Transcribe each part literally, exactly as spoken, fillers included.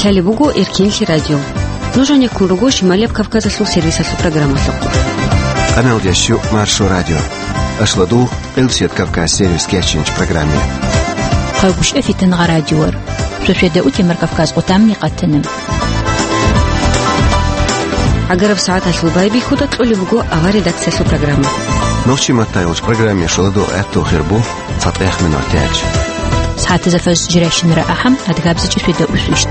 Гьале буго Эркенлъи радио. Нуж гьанеккун руго Шималияб Кавказалъул сервисалъул программалъухъ. Къаналдящу Маршо радио. Ашладул Къилсият Кавказ сервис кечинч программе. Хъайгъушъа фитангъа радиор. Шошеда утемар Кавказ къутамни къатана. Агараб сагӀаталъул байбихьуда кьолеб буго авар редакциялъул программа. Нохчи маттайолч программе шоладо гӀатту хирбу. ЦатӀех минутач. СагӀатазда фаз жирайщинара ахӀам, адгабзичӀи феда усвищт.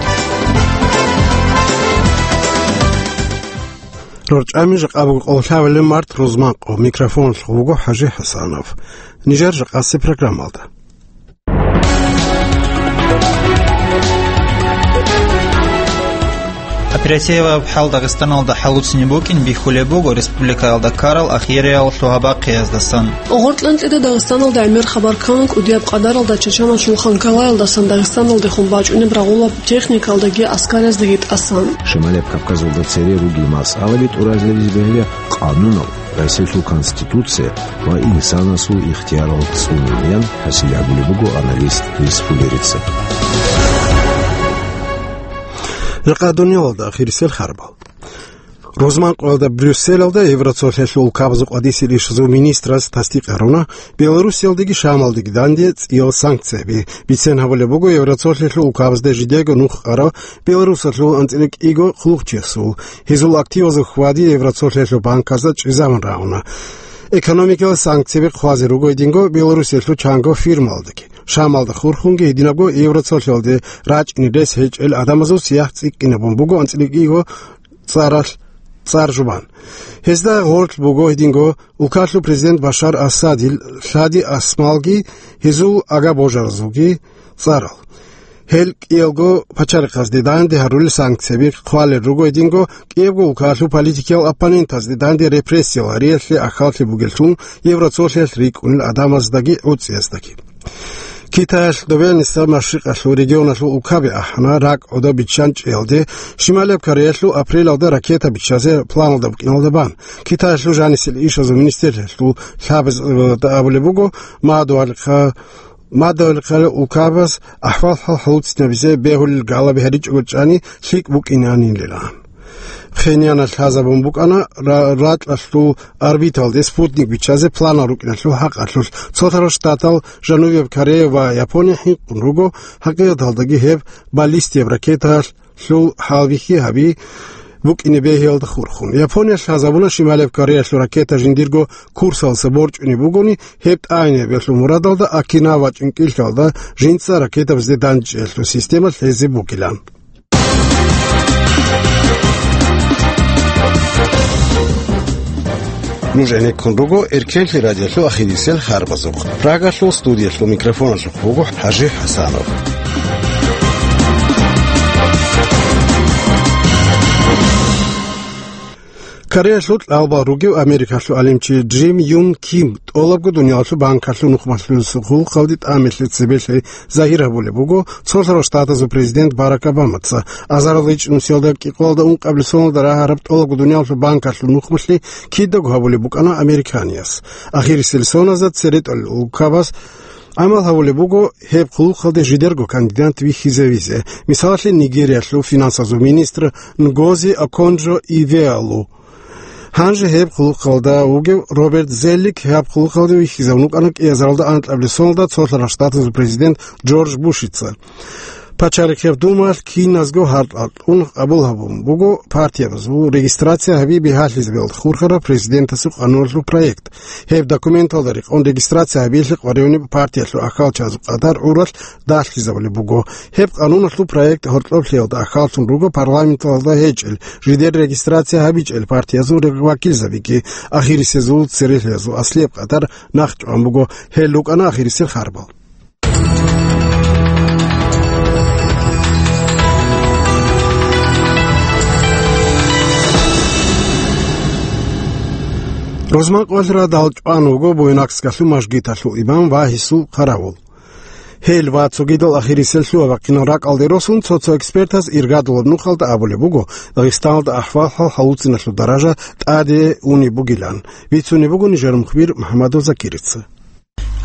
РорчӀами жакъа буго къоллъабилеб март рузмакъо. Микрофонлъ вуго ХӀажи ХӀасанов. Нижер жакъаси программалда. Оперативаб хӀал Дагъистаналда хӀалуцни букӀин бихьулеб буго республикаялда ккарал ахириял лъугьа-бахъиялдасан. ГъоркьанцӀида Дагъистаналда гӀемер хабар ккана кӀудияб къадаралда Чачаналъул Ханкалаялдасан Дагъистаналдехун бачӀунеб рагъулаб техникалдаги аскаряздаги тӀасан. Шималияб Кавказалда цере ругел масъалаги тӀуразаризе бегьила къанунал, Россиялъул Конституция ва инсанасул ихтиярал цӀунунеян хӀасил гьабулеб буго аналист Лис Фулерица. Жакъа дуниялалда ахирисел харбал. Рузманкъоялда Брюсселалда Евроцолъиялъул улкабазул къвадисел ишазул министраз тасдикъ гьаруна, Белоруссиялдеги Шамалдеги данде цӀиял санкцияби. Бицен гьабулеб буго, Евроцолъиялъул улкабазда жидего нух къарав Белорусалъул анцӀила кӀиго хъулухъчиясул. Гьезул активазул хьвади Евроцолъиялъул банказда чӀезабун рагӀуна. Экономикалъ санкцияби хъвазе руго гьединго Белоруссиялъул чанго фирмалдаги. Шамалда хурхунги гьединабго Евроцолъиялде рачӀине рес гьечӀел гӀадамазул сияхӀ цӀикӀкӀинабун буго анцӀила кӀиго цӀаралъ цӀар жубан. Гьезда гъорлъ буго гьединго улкалъул президент Башар Асадил лъади асмалги гьезул агабожаразулги цӀарал. Гьел кӀиялго пачалихъазде данде гьарулел санкцияби хъвалел руго гьединго кӀиябго улкалъул политикиял оппонентазде данде репрессиял гьариялъе ахьаллъи бугеллъун Евроцолъиялъ рикӀкӀунел гӀадамаздаги гӀуцӀияздаги. Китаялъ добеяниса Машрикъалъул регионалъул улкаби ахӀана, ракӀ гӀодоб биччанчӀиялде Шималияб Кореялъул апрелалда ракета биччазе планалда букӀиналда бан. Китаялъул жанисел ишазул министрлъиялъул лъабаз, э, абулеб буго, мадугьалихъа-, мадугьалихъа улкабаз ахӀвал-хӀал хӀалуцинабизе бегьулел галаби гьаричӀого чӀани лъикӀ букӀинанилилан. Пхеньяналъ лъазабун букӀана ра-, ракьалъул орбиталде спутник биччазе планал рукӀиналъул хӀакъалъулъ. Цолъарал Штатал Жанубияб Корея ва Япония хӀинкъун руго, хӀакъикъаталдаги гьеб баллистияб ракеталъул хӀалбихьи гьаби букӀине бегьиялда хурхун. Япониялъ лъазабуна Шималияб Кореялъул ракета жиндирго курсалса борчӀунеб бугони, гьеб тӀагӀинабиялъул мурадалда Окинава чӀинкӀиллъалда жинца ракетабазде дандчӀиялъул система лъезе бугилан. Нуж гӀенеккун руго Эркенлъи радиолъул ахирисел харбазухъ. Прагалъул студиялъул микрофоналъухъ вуго ХӀажи ХӀасанов. Кореялъул кьалбал ругев Америкалъул гӀалимчи Джим Юн Ким тӀолабго дуниялалъул банкалъул нухмалъулъ хъулухъалде тӀамилъи цебелъи загьир гьабулеб буго Цолъарал Штатазул президент Барак Обамаца. Азарал ичӀнусиялда кӀикъоялда ункъабилеб соналда рагьараб тӀолабго дуниялалъул банкалъул нухмалъи кидаго гьабулеб букӀана американияс. Ахирисел соназда цере тӀолел улкабаз гӀамал гьабулеб буго гьеб хъулухъалде жидерго кандидат вихьизавизе, мисалалъе, Нигериялъул финансазул министр Нгози Оконджо Ивеалу. Гьанже гьеб хъулухъалда вугев Роберт Зеллик гьаб хъулухъалде вихьизавун вукӀана кӀиазаралда анкьабилеб соналда Цолъарал Штатазул президент Джордж Бушица. Пачалихъеб Думалъ киназго гьаркьа кьун къабул гьабун буго партиябазул регистрация гьаби бигьалъизабиялда хурхараб президентасул къануналъул проект. Гьеб документалда рекъон регистрация гьабиялъе къваригӀунеб партиялъул ахьалчазул къадар гӀуралъ далъизабулеб буго. Гьеб къануналъул проект гьоркьоблъиялда ахьаллъун руго парламенталда гьечӀел, жидер регистрация гьабичӀел партиязул вакилзабиги. Ахирисезул церехиязул аслияб къадар нахъчӀван буго. Гьел рукӀана ахирисел харбал. Рузман къвалъ радал чӀван вуго Буйнакскалъул мажгиталъул имам ва гьесул хъаравул. Гьел ва цогидал ахирисел лъугьа-бахъинал ракӀалде росун, цо-цо экспертаз иргадулаб нухалда абулеб буго, Дагъистаналда ахӀвал-хӀал хӀалуциналъул даража тӀаде унеб бугилан. Бицунеб буго нижер мухбир МухӀамадов Закирица.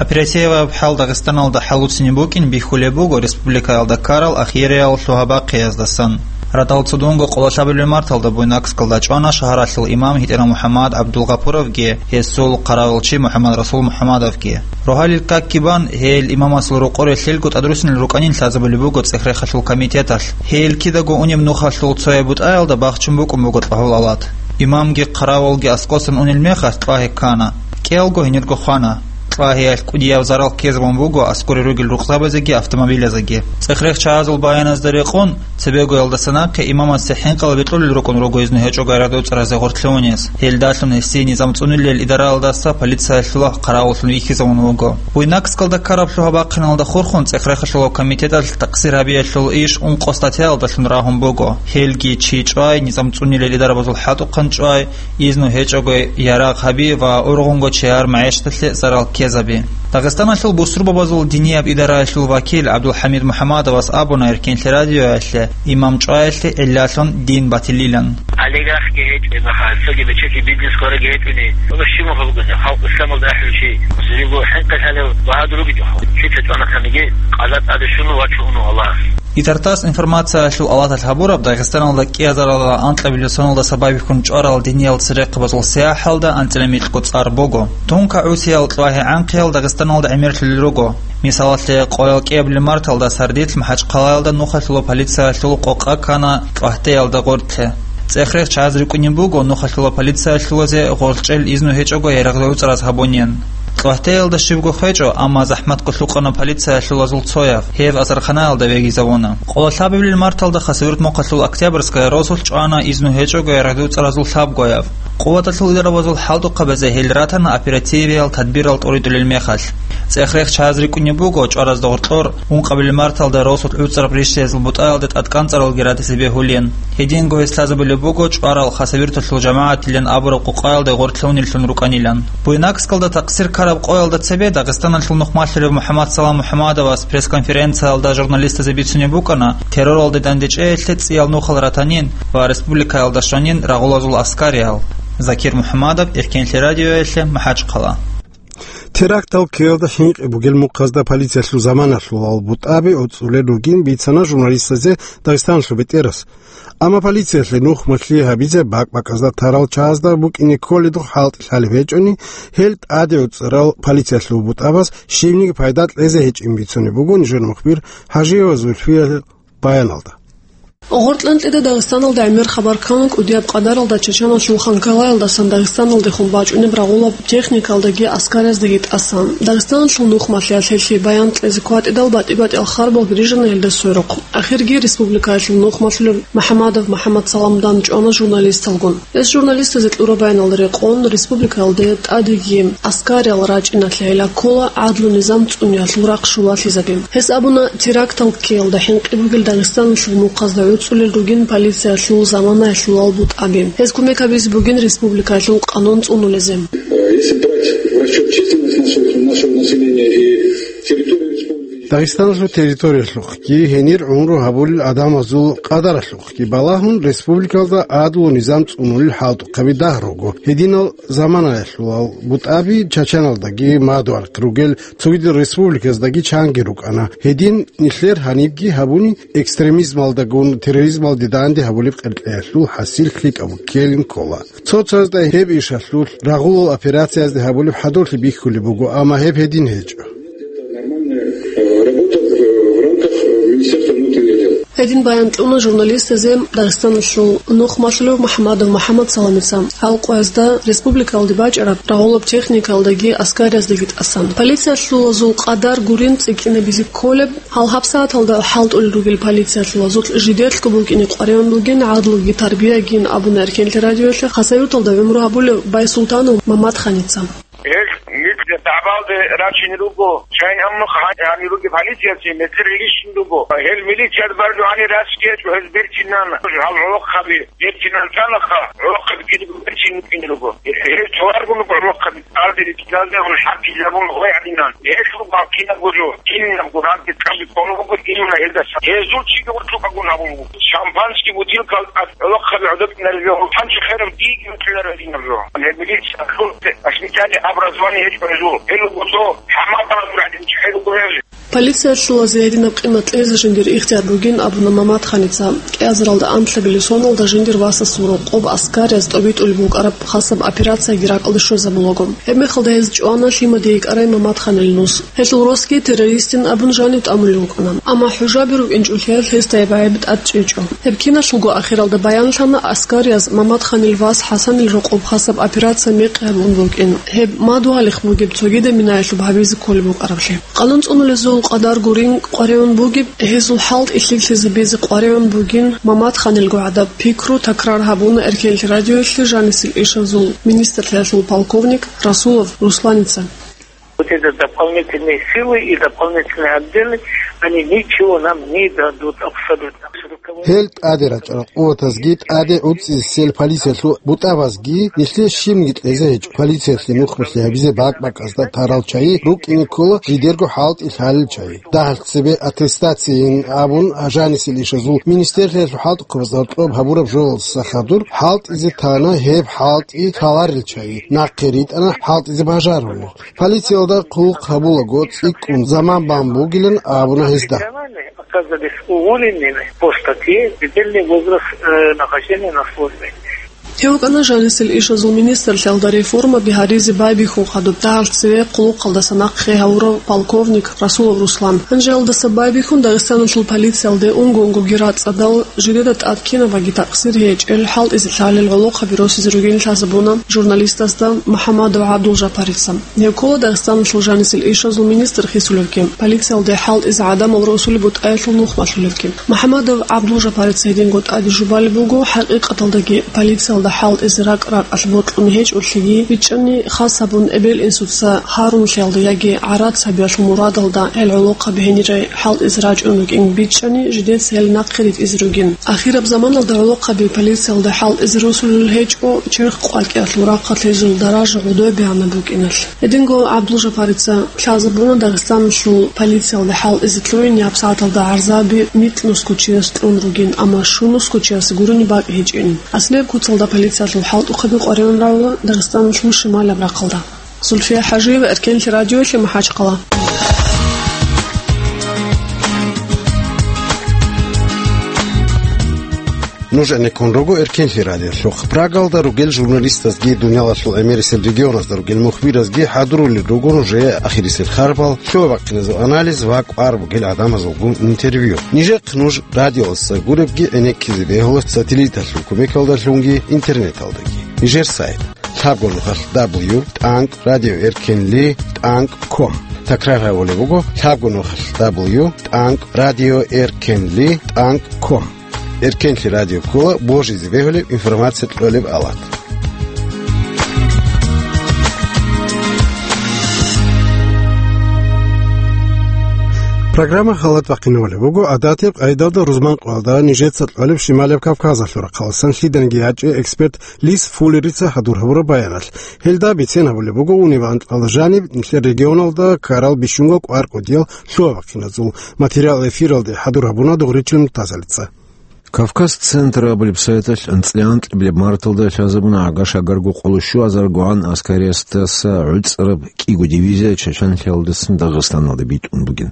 Оперативаб хӀал Дагъистаналда хӀалуцинеб букӀин бихьулеб буго республикаялда ккарал ахириял лъугьа-бахъиназдасан. Радал цудунго къоло лъабабилеб марталда Буйнакскалда чӀвана шагьаралъул имам ГьитӀинал МухӀаммад ГӀабдулгъапуровги гьесул хъаравулчи МухӀаммадрасул МухӀаммадовги. Рогьалил какги бан, гьел имамасул рокъор релълъелго тӀадрусинал рукӀанин лъазабулеб буго ЦӀехрехалъул комитеталъ. Гьел кидаго унеб нухалъул цояб бутӀаялда бахчун букӀун буго кьвагьул алат. Имамги хъаравулги аскӀосан унел мехалъ кьвагьи ккана. КӀиялго гьенирго хвана. Кьвагьиялъ кӀудияб зарал ккезабун буго аскӀоре ругел рукъзабазеги автомобилазеги. ЦӀехрехчагьазул баяназда рекъон, цебегоялдаса нахъе имамасе хӀинкъал бекьулел рукӀун руго изну гьечӀого ярагъдуцӀаразе гъорлъе унес. Гьелдалъун гьесие низам цӀунилел идараялдаса полициялъула хъаравуллъун вихьизавун вуго. Буйнакскалда ккараб лъугьа-бахъиналда хурхун ЦӀехрехалъул комитеталъ такъсир гьабиялъул иш ункъо статьяялдалъун рагьун буго. Гьелги чи чӀвай, низам цӀунилел идарабазул хӀалтӀухъан чӀвай, изну гьечӀого ярагъ гьаби ва ургъунго чияр магӀишаталъе зарал ккезаби. Дагъистаналъул бусурбабазул динияб идараялъул вакил ГӀабдулхӀамид МухӀаммадовас абуна Эркенлъи радиоялъе имам чӀваялъе гӀиллалъун дин батилилан. Олигархги гьечӀо мехалъ, цоги бечелъи бизнес ккараги гьечӀони, гьуна щиб мехалъ бугони, халкъ исламалда ахӀулев чи, цинги хӀинкъи лъалев багьадур ругичӀо. Чи чӀванахъаниги, къаза тӀаде щун вачун вуго Аллагьас. Интертасс информациялъул алаталъ гьабураб, Дагъистаналда кӀиазаралда анкьабилеб соналдаса байбихьун чӀварал диниял церехъабазул сияхӀалда анцӀила микьго цӀар буго. Тунка гӀусиял кьвагьи гӀанхъиял Дагъистаналда гӀемерлъулел руго. Мисалалъе, къоял кӀиабилеб марталда сардилъ МахӀачхъалаялда нухалъула полициялъул къокъа ккана кьвагьтеялда гъоркье. ЦӀехрехчагьаз рикӀкӀунеб буго нухалъула полициялъулазе гъоркьчӀел изну гьечӀого ярагъдуцӀараз гьабунин. Кьвагьтеялда щибго хвечӀо, амма захӀматго лъукъана полициялъулазул цояв, гьев асарханаялда вегизавуна. Къоло лъабабилеб марталда Хасавюрт мухъалъул Октябрьская росулъ чӀвана изну гьечӀого ярагъдуцӀаразул лъабгояв. Къуваталъул идарабазул хӀалтӀухъабазе гьел ратана оперативиял тадбирал тӀоритӀулел мехалъ. ЦӀехрехчагьаз рикӀкӀунеб буго чӀваразда гъоркьор ункъабилеб марталда росулъ гӀуцӀараб ришшиязул бутӀаялда тӀадкӀанцӀаралги ратизе бегьулин. Гьединго гьес лъазабулеб буго чӀварал Хасавюрталъул жамагӀатилан абураб къукъаялда гъоркьлъунеллъун рукӀанилан. Буйнакскалда такъсир ккараб къоялда цебе Дагъистаналъул нухмалъулев МухӀаммадсалам МухӀаммадовас пресс-конференциялда журналистазе бицунеб букӀана терроралде дандечӀеялъе цӀиял нухал ратанин ва республикаялда щванин рагъулазул аскариял. Закир МухӀаммадов, Эркенлъи радиоялъе, МахӀачхъала. Терактал ккеялда хӀинкъи бугел мухъазда полициялъул заманалъулал бутӀаби гӀуцӀулел ругин бицана журналистазе Дагъистаналъул бетӀерас. Амма полициялъе нухмалъи гьабизе бакӀ-бакӀазда тарал чагӀазда букӀине кколедухъ хӀалтӀи лъалеб гьечӀони, гьел тӀаде гӀуцӀарал полициялъул бутӀабаз щибниги пайда кьезе гьечӀин бицунеб буго нижер мухбир ХӀажиева Зульфиял баяналда. Гъоркьанкьида Дагъистаналда гӀемер хабар ккана кӀудияб къадаралда Чачаналъул Ханкалаялдасан Дагъистаналдехун бачӀунеб рагъулаб техникалдаги аскарияздаги тӀасан. Дагъистаналъул нухмалъиялъ гьелъие баян кьезе кватӀидал батӀи-батӀиял харбал бирижана гьелда сверухъ. Ахирги республикаялъул нухмалъулев МухӀаммадов МухӀаммадсаламдани чӀвана журналисталгун. Гьес журналистазе кьураб баяналда рекъон, республикаялде тӀадеги аскариял рачӀиналъе гӀилла ккола гӀадлу-низам цӀуниялъул рахъ щулалъизаби. Гьес абуна, терактал ккеялда хӀинкъи бугел Дагъистаналъул мухъазда гӀуцӀулел ругин полициялъул заманаялъулал бутӀаби. Гьез кумек гьабизе бугин республикаялъул къанун цӀунулезе. Если брать в расчёт численность нашего, нашего населения и территорию республики, Дагъистаналъул территориялъухъги, гьенир гӀумру гьабулел адамазул къадаралъухъги балагьун, республикалда гӀадлу-низам цӀунулел хӀалтӀухъаби дагь руго. Гьединал заманаялъулал бутӀаби Чачаналдаги мадугьарахъ ругел цогидал республиказдаги чанги рукӀана. Гьедин нилъер гьанибги гьабуни экстремизмалдагун терроризмалде данде гьабулеб къеркьеялъул хӀасил лъикӀаб ккелин ккола. Цо-цоязда гьеб ишалъулъ рагъулал операциязде гьабулеб хӀадурлъи бихьулеб буго, амма гьеб гьедин гьечӀо. Нормальная, э, работа в, в рамках, э, Министерства внутренних дел. Гьедин баян кьуна журналистазе Дагъистаналъул нухмалъулев МухӀаммадов МухӀаммадсаламица. Гьал къоязда республикалде бачӀараб рагъулаб техникалдаги аскарияздаги тӀасан. Полициялъулазул къадар гурин цӀикӀкӀинабизе кколеб. Гьал гьабсагӀаталда хӀалтӀулел ругел полициялъулазулъ жидеялъго букӀине къваригӀун бугин гӀадлуги тарбиягин, абуна Эркенлъи радиоялъе Хасавюрталда гӀумру гьабулев Байсултанов Мамадханица. Гьел микье дагӀбалде рачине руго, шайин гьаннухъ гьанир ругел полицияцин мекъер гьелищин руго. Гьел милициялъ баржу гьанир рачги гьечӀо, гьез берцинан гьал гӀолохъаби. Берцинан цанаха, гӀолохъаби кидаго берцин рукӀине руго. Гьез цоларгун руго гӀолохъаби, цӀалде рикӀкӀалде гьун хӀаккилабун гъой гьадинан. Гьелъул бакинаб гуро, кинаб гуранти цӀалде кколо буго, имна гьелдаса. Гьезул чиги урчукъагун гьабун буго. Шампанский бутылкал тӀад гӀолохъаби гӀодобинараб жо, гьанчи херав диги бутӀилараб гьадинаб жо. Гьеб милиция ахлу, воспитание, образование гьечӀо гьезул. Гьел Полициялъулазе гьединаб къимат кьезе жиндир ихтияр бугин абуна Мамадханица. КӀиазаралда анлъабилеб соналда жиндир васасул рокъоб аскарияз тӀобитӀулеб букӀараб хасаб операцияги ракӀалде щвезабулаго. Гьебмехалда гьез чӀвана лъимаде йикӀарай Мамадханил нус. Гьелъул росги террористин абун жанив тӀамулев вукӀана. Амма хӀужаби рукӀинчӀулъиялъ гьесда гьеб гӀайиб тӀад чӀечӀо. Гьеб киналъулго ахиралда баянлъана аскарияз Мамадханил вас ХӀасанил рокъоб хасаб операция мекъи гьабун букӀин. Гьеб мадугьалихъ бугеб цогидаб минаялъуб гьабизе кколеб букӀараблъи. Къанун цӀунулезул къадар гурин къваригӀун бугеб, гьезул хӀалтӀи лъикӀлъизабизе къваригӀун бугин Мамадханилго гӀадаб пикру такрар гьабуна Эркенлъи радиоялъе жанисел ишазул министрлъиялъул полковник Расулов Русланица. Вот это дополнительные силы и дополнительные отделы, они ничего нам не дадут абсолютно. Гьел тӀаде рачӀарал къуватазги, тӀаде гӀуцӀисел полициялъул бутӀабазги нилъее щибниги кьезе гьечӀо. Полициялъе нухмалъи гьабизе бакӀ-бакӀазда тарал чагӀи рукӀине ккола жидерго хӀалтӀи лъалел чагӀи. Дагьал цебе аттестацияйин абун жанисел ишазул министрлъиялъул хӀалтӀухъабазда гьоркьоб гьабураб жоялдаса хадур хӀалтӀизе тана гьеб хӀалтӀи лъаларел чагӀи, нахъе ритӀана хӀалтӀизе бажарулел. Полициялда хъулухъ гьабулаго цӀикӀкӀун заман бан бугилан абуна гьезда. Оказались уволенными по статье «Предельный возраст, э, нахождения на службе». Гьев вукӀана жанисел ишазул министрлъиялда реформаби гьаризе байбихьун хадуб дагьал цеве хъулухъалдаса нахъе гьавурав полковник Расулов Руслан. Гьанжеялдаса байбихьун Дагъистаналъул полициялде унго-унгоги рацӀцӀадал жидеда тӀад кинабаги такъсир гьечӀел хӀалтӀизе лъалел гӀолохъаби росизе ругин лъазабуна журналистасда МухӀамадов ГӀабдулжапарица. Гьев ккола Дагъистаналъул жанисел ишазул министр хисулевги, полициялде хӀалтӀизе гӀадамал росулеб бутӀаялъул нухмалъулевги. МухӀамадов ГӀабдулжапарица гьединго тӀаде жубалеб буго, хӀакъикъаталдаги полициялда хӀалтӀизе ракӀ-ракӀалъ бокьун гьечӀолъиги, бичӀчӀани хас гьабун эбел-инсуца гьаруллъиялда яги гӀарац гьабиялъул мурадалда гьел гӀолохъаби гьенирай хӀалтӀизе рачӀун рукӀин, бичӀчӀани жидеца гьел нахъе ритӀизе ругин. Ахираб заманалда гӀолохъаби полициялда хӀалтӀизе росулел гьечӀо, черх къвакӀиялъул рахъалъ гьезул даража гӀодобегӀанаб букӀиналъ. Гьединго ГӀабдулжапарица лъазабуна Дагъистаналъул полициялда хӀалтӀизе лъугӀин ябсагӀаталда гӀарзаби микьнусго чияс кьун ругин, амма щунусго чиясе гурони бакӀ гьечӀин. Аслияб куцалда полициялъул хӀалтӀухъаби къваригӀун равула Дагъистаналъул шималаб рахъалда. Зульфия ХӀажиева, Эркенлъи радиоялъе, МахӀачхъала. Нуж гӀенеккун руго Эркенлъи радиолъухъ. Прагалда ругел журналистазги, дуниялалъул гӀемерисел регионазда ругел мухбиразги хӀадурулел руго нужее ахирисел харбал, лъугьа-бахъиназул анализ ва кӀвар бугел гӀадамазулгун интервью. Нижехъ нуж радиоялдаса гуребги гӀенеккизе бегьула сателлиталъул кумекалдалъунги интернеталдаги. Нижер сайт: лъабго нухалъ дабл ю тӀанкӀ радио эркенли тӀанкӀ ком. Такрар гьабулеб буго: лъабго нухалъ дабл ю тӀанкӀ радио эркенли тӀанкӀ ком. Эркенлъи радио ккола божизе бегьулеб информация кьолеб алат. Программа халат бахъинавулеб буго гӀадатиб къайдалда рузман къоялда нижеца кьолеб Шималаб Кавказалъул рахъаласан лъиданиги ячӀи эксперт Лис Фуллерица хӀадур гьабураб баяналъ. Гьелда бицен гьабулеб буго униб анкьал жаниб нилъер регионалда ккарал бищунго кӀвар кӀудиял лъугьа-бахъиназул. Материал эфиралде хӀадур гьабуна Дугъричил Муртазалица. Кавказ Центр абулеб сайталъ анцӀила анкьабилеб марталда лъазабуна гӀага-шагарго къоло щуазаргогӀан аскариясдаса гӀуцӀараб кӀиго дивизия чачанлъиялдасан Дагъистаналда битӀун бугин.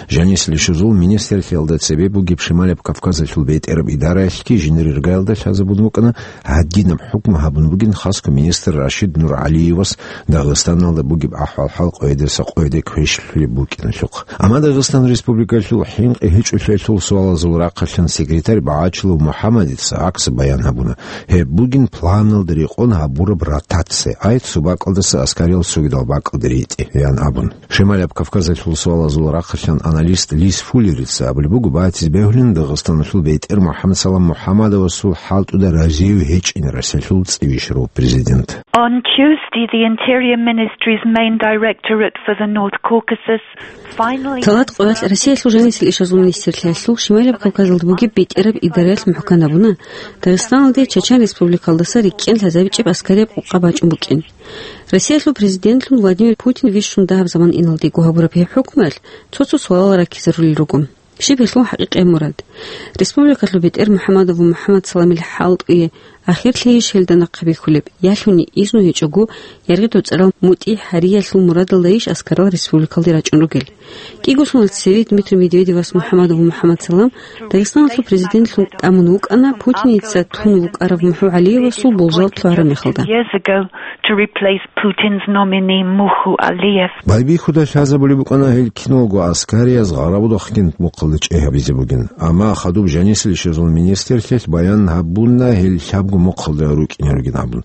Жанисел ишазул министрлъиялда цебе бугеб Шималаб Кавказалъул бетӀераб идараялъги жиндир иргаялда лъазабун букӀана, гьадинаб хӀукму гьабун бугин хасго министр Рашид НургӀалиевас Дагъистаналда бугеб ахӀвал-хӀал къоядаса къояде квешлъулеб букӀиналъухъ. Амма Дагъистан Республикалъул хӀинкъи гьечӀолъиялъул суалазул рахъалъан секретарь БагӀачилов МухӀаммадица гӀакс баян гьабуна. Гьеб бугин планалда рекъон гьабураб ротация, ай цо бакӀалдаса аскариял цогидал бакӀалде ритӀе, ян абун. Шималаб Кавказалъул суалазул рахъалъан аналист Лис Фуллерица абулеб буго, батизе бегьулин Дагъистаналъул бетӀер МухӀаммадсалам МухӀаммадовасул хӀалтӀуда разив гьечӀин Россиялъул цӀибищарав президент. On Tuesday, the Interior Ministry's main directorate for the North Caucasus finally Талат къоялъ Россиялъул жанисел ишазул министрлъиялъул Шималаб Кавказалда бугеб бетӀераб идараялъ мухӀкан гьабуна, Дагъистаналде Чачан Республикалдаса рикӀкӀен лъазабичӀеб аскарияб къокъа бачӀун букӀин. Россиялъул президентлъун Владимир Путин вищун дагьаб заман иналдего гьабураб гьеб хӀукмуялъ цо-цо суалал раккизарулел руго. Щиб гьелъул хӀакъикъияб мурад? Республикалъул бетӀер МухӀаммадов МухӀаммадсаламил хӀалтӀуе Ахирлъейищ гьелда нахъа бихьулеб, ялъуни изну гьечӀого, яргъи доцӀарал мутӀигӀ гьариялъул мурадалдайищ аскарал республикалде рачӀун ругел? КӀиго соналъ цеве Дмитрий Медведевас МухӀаммад ва МухӀаммад Салам Дагъистаналъул президентлъун тӀамун вукӀана Путиница тун вукӀарав МухӀу ГӀалиевасул болжал лъугьараб мехалда. Years ago to replace Putin's nominee Muhu Aliyev. Байбихьуда лъазабулеб букӀана гьел киналго аскарияз гъарабудахъгин мухъалда чӀей гьабизе бугин, амма хадуб жанисел щвезул министрлъиялъ баян гьабуна гьел лъабго мухъалда рукӀине ругин абун.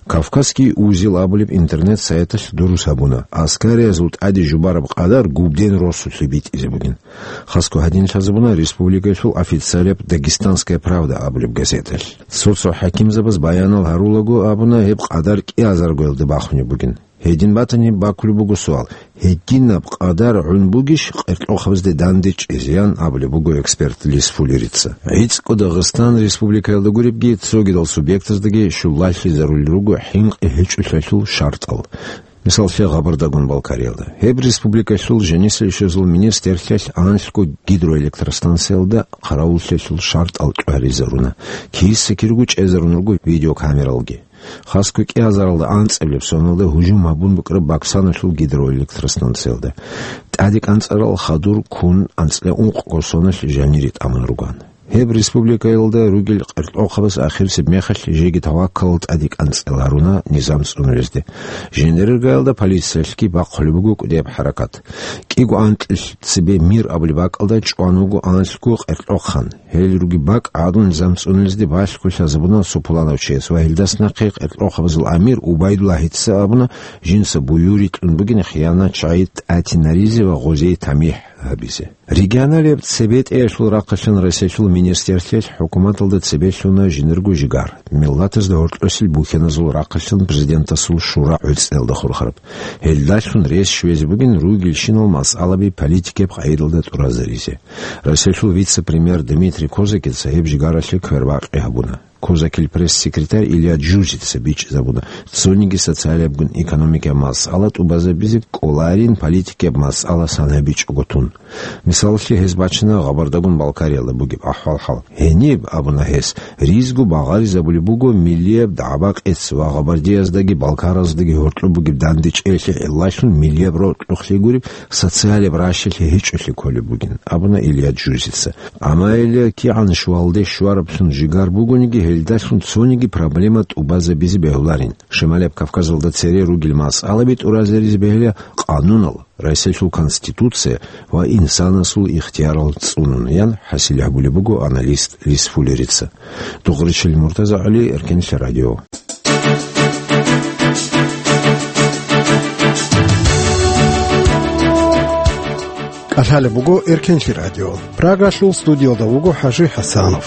Кавказский узел абулеб интернет-сайталъ дурус гьабуна, аскариязул тӀаде жубараб къадар губден росулъе битӀизе бугин. Хасго гьадин лъазабуна республикаялъул официалияб «Дагестанская правда» абулеб газеталъ. Цо-цо хӀакимзабаз баянал гьарулаго абуна, гьеб къадар кӀиазаргоялда бахунеб бугин. Гьедин батани, бакулеб буго суал: гьединаб къадар гӀун бугищ къеркьохъабазде данде чӀезеян абулеб буго эксперт Лисфулирица. ГӀицӀго Дагъистан республикаялда гуребги, цогидал субъектаздаги щулалъизарулел руго хӀинкъи гьечӀолъиялъул шартӀал. Мисаллъе, Гъабардагун-Балкариялда. Гьеб республикалъул жанисел щвезул министрлъиялъ анлъго гидроэлектростанциялда хъаравуллъиялъул шартӀал чӀваризаруна. Киса-кириго чӀезарун руго видеокамералги. Хасго кӀиазаралда анцӀабилеб соналда гьужум гьабун букӀараб Баксаналъул гидроэлектростанциялда. ТӀаде кӀанцӀарал хадур ккун анцӀила ункъго соналъ жанире тӀамун руган. Гьеб республикаялда ругел къеркьохъабаз ахирисеб мехалъ жеги таваккалал тӀаде кӀанцӀил гьаруна низам цӀунулезде. Жинериргаялда полициялъги бахъулеб буго кӀудияб хӀаракат. КӀиго анкьил цебе Мир абулеб бакӀалда чӀван вуго анлъго къеркьохъан. Гьел руги бакӀ гӀадун низам цӀунулезде балъго лъазабуна цо пуланав чияс ва гьелдас нахъе къеркьохъабазул амир Убайдуллагьица абуна, жинца буюрикьун бугин хиянатчагӀи тӀатинаризе ва гъозие тамихӀ гьабизе. Регионалияб цебетӀеялъул рахъалъан Россиялъул министрлъиялъ хӀукуматалда цебе лъуна жинерго жигар, миллатазда гьоркьосел бухьаназул рахъалъан президентасул шура гӀуцӀиялда хурхараб. Гьелдалъун рес щвезе бугин ругелщинал масъалаби политикияб къагӀидалда тӀуразаризе. Россиялъул вице-премьер Дмитрий Козакица гьеб жигаралъе квербакъи гьабуна. Козакил пресс-секретарь Илья Джузица бичӀчӀизабуна, цониги социалиябгун экономикаяб масъала тӀубазабизе кӀоларин политикияб масъала санабичӀого тун. Мисаллъи, гьез бачана Гъабардагун-Балкариялда бугеб ахӀвал-хӀал. Гьениб, абуна гьес, ризго багъаризабулеб буго миллияб дагӀба-къец ва гъабардияздаги балкараздаги гьоркьоб бугеб дандечӀеялъе гӀиллалъун миллияб рокьухълъи гуреб социалияб ращалъи гьечӀолъи кколеб бугин, абуна Илья Джузица. Амма гьеле кигӀан щвалде щвараблъун жигар бугониги, гьелдалъун цониги проблема тӀубазабизе бегьуларин. Шималияб Кавказалда цере ругел масъалаби тӀуразаризе бегьула къанунал, Россиялъул Конституция ва инсанасул ихтиярал цӀунун, ян хӀасил гьабулеб буго аналист Лисфулерица. Дугъричил Муртаза ГӀали, Эркенлъи радио. КӀалъалеб буго Эркенлъи радио. Прагалъул студиялда вуго ХӀажи ХӀасанов.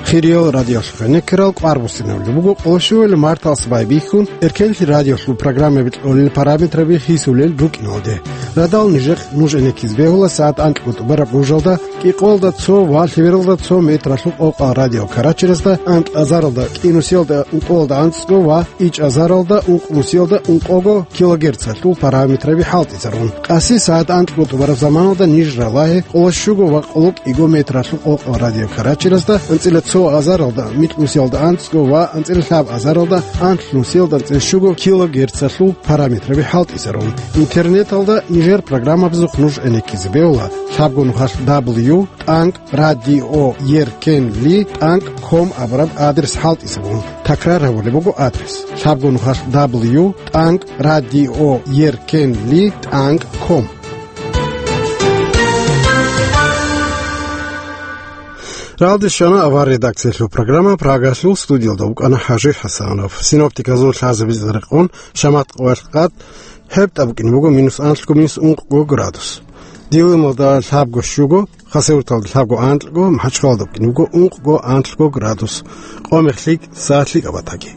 Хириял радиолъухъе некерал, кӀвар буссинабулеб буго къоло щуабилеб марталъ байбихьун Эркенлъи радиолъул программаби кьолел параметраби хисулел рукӀиналде. Радал нижехъ нуж гӀенеккизе бегьула сагӀат анкьго тӀубараб гъужалда, кӀикъоялда цо ва лъебералда цо метралъул къокъал радио Карачерасда, анкьазаралда кӀинусиялда ункъоялда анцӀго ва ичӀазаралда ункънусиялда ункъого килогерцалъул параметраби хӀалтӀизарун. Къаси сагӀат анкьго тӀубараб заманалда ниж ралагье къоло щуго ва къоло кӀиго метралъул къокъал радио Карачерасда, анцӀила цо азаралда микьнусиялда анцӀго ва анцӀила лъаб азаралда анлънусиялда анцӀила щуго килогерцалъул параметраби хӀалтӀизарун. Интернеталда нижер программабазухъ нуж гӀенеккизе бегьула лъабго нухалъ дабл ю тӀанкӀ радио еркенли тӀанкӀ ком абураб адрес хӀалтӀизабун. Такрар гьабулеб буго адрес: лъабго нухалъ дабл ю тӀанкӀ радио еркенли тӀанкӀ ком. Ралде щвана авар редакциялъул программа, Прагалъул студиялда вукӀана ХӀажи ХӀасанов. Синоптиказул лъазабизе рекъон, шамат къоялъ къад гьебтӀа букӀине буго минус анлъго, минус ункъго градус. Дилималда лъабго щуго, Хасавюрталда лъабго анлъго, МахӀачхъалада букӀине буго ункъго анлъго градус. Къо-мех лъикӀ, сагӀат лъикӀаб батаги.